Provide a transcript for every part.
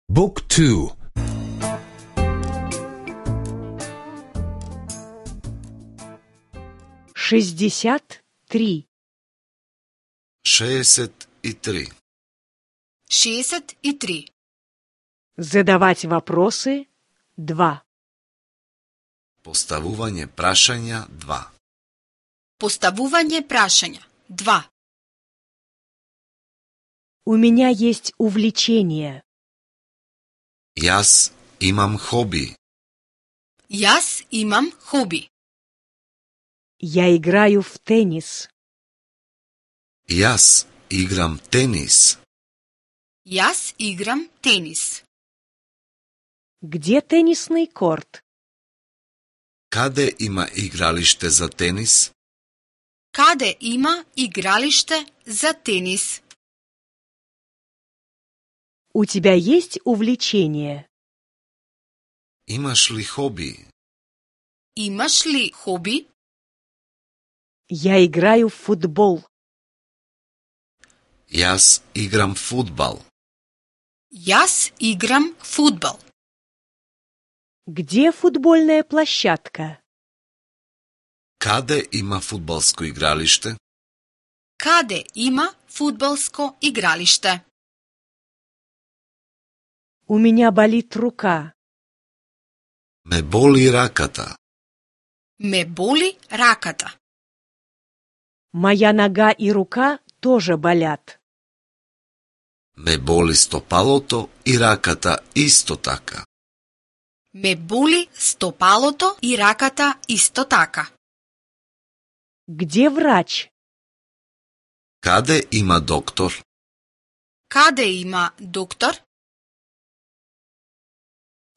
Book 2. 63. 63. 63. Задавать вопросы 2. Postavuvanje prašanja 2. Postavuvanje prašanja 2. У меня есть увлечение. Jas imam hobi. Jaz imam hobi. Я играю в теннис. Jas igram tenis. Jaz igram tenis. Где теннисный корт? Kade ima igralište za tenis? Kade ima igralište za tenis? У тебя есть увлечение? Imaš li hobi? Imaš li hobi? Я играю в футбол. Jas igram fudbal. Jaz igram fudbal. Где футбольная площадка? Kade ima fudbalsko igralište? Kade ima fudbalsko igralište? У меня болит рука. Me boli rakata. Me boli rakata. Моя нога и рука тоже болят. Me boli stopaloto i rakata isto taka. Me boli stopaloto i rakata isto taka. Где врач? Kade ima doktor? Kade ima doktor?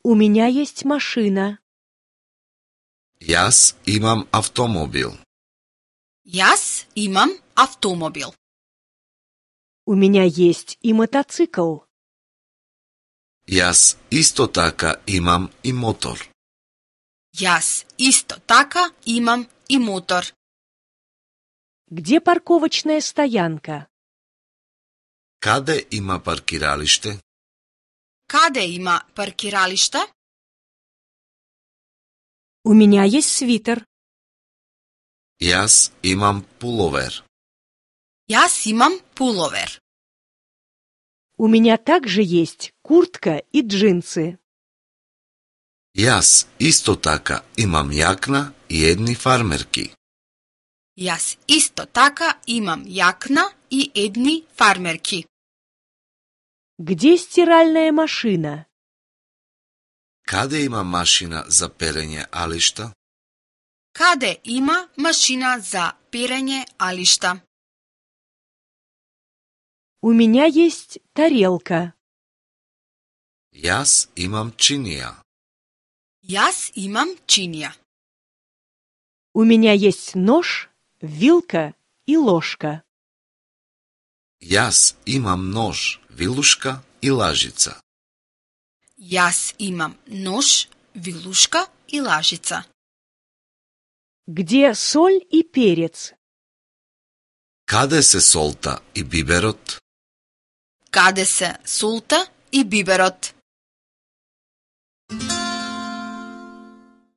У меня есть машина. Jas imam automobil. Jaz imam avtomobil. У меня есть и мотоцикл. Jas isto taka imam i motor. Jaz isto taka imam i motor. Где парковочная стоянка? Kade ima parkiralište? Kade ima parkiralište? У меня есть свитер. Jas imam pulover. Jaz imam pulover. У меня также есть куртка и джинсы. Jas isto taka imam jakna i jedni farmerki. Jaz isto taka imam jakna i edni farmerki. Где стиральная машина? Kade ima mašina za perenje ališta? Kade ima mašina za perenje ališta? У меня есть тарелка. Jas imam činija. Jaz imam činija. У меня есть нож, вилка и ложка. Jas imam nož, viluška i lažica. Jaz imam nož, viluška i lažica. Где соль и перец? Kade se solta i biberot? Kade se sulta i biberot?